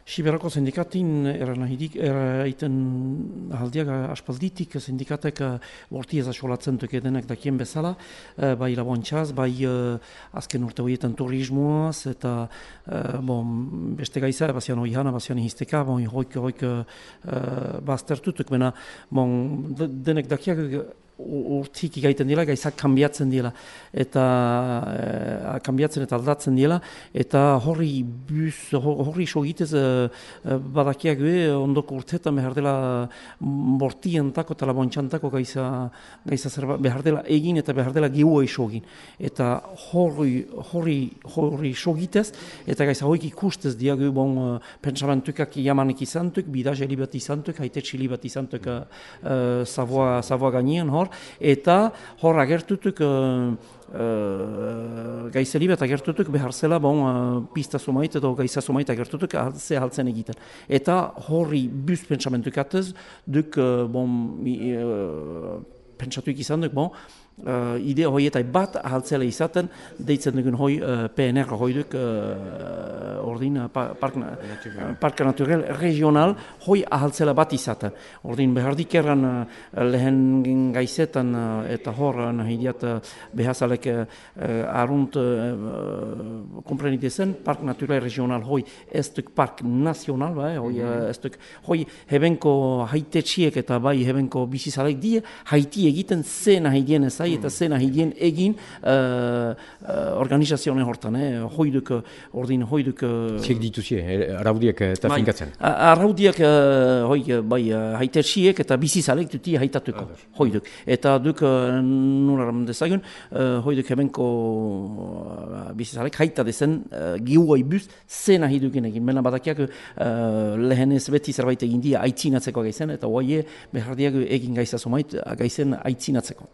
Siberako sindikatin eraiten ahaldiak aspalditik sindikatek borti ez asolatzen denek dakien bezala, bai labontxaz, bai azken urte horietan turismoaz, eta beste gaiza, bazian oihana, bazian hizteka, hoik baztertutuk, bena denek dakiak urtik igaiten dira, gaizak kanbiatzen dira, eta kanbiatzen eta aldatzen dira, eta horri sogitez badakiak ondoko urteetan behar dela bortientako eta labontxantako gaiza behar dela egin eta behar dela giua isogin. Eta horri sogitez, eta gaiza hoik ikustez diagu pentsamentukak jamanek izantuk, bidazeli bat izantuk, haitetxili bat izantuk Savoa gainean hor, eta hor agertutuk gaizeli bat agertutuk behar zela pista sumait edo gaiza sumait agertutuk ze haltzen egiten. Eta horri buz pentsamentukatez duk pentsatuik izan duk idea hoietai bat ahaltzela izaten, deitzen dugun hoi PNR hoiduk ordin Parka Naturel Regional hoi ahaltzela bat izaten. Ordin behardik erran lehen gaizetan eta hor nahi diat behazalek arunt komprenitezen Park Naturel Regional hoi ez duk Park Nazional, hoi hebenko haitetxiek eta bai hebenko bizizalek die haiti egiten zen nahi dien ezai eta zen ahidien egin organizazioen hortan, hoiduk, ordin hoiduk... Ziek dituzie, araudiak eta finkatzen? Araudiak haitetxiek eta bizizalek duti haitatuko, hoiduk. Eta duk, nularam dezagun, hoiduk hebenko bizizalek haita dezen giuai buz zen ahidukin egin. Mena badakiak lehenez beti zerbait egin dia aitzinatzeko gaizen, eta hoie behardiak egin gaiza somait gaizen aitzinatzeko.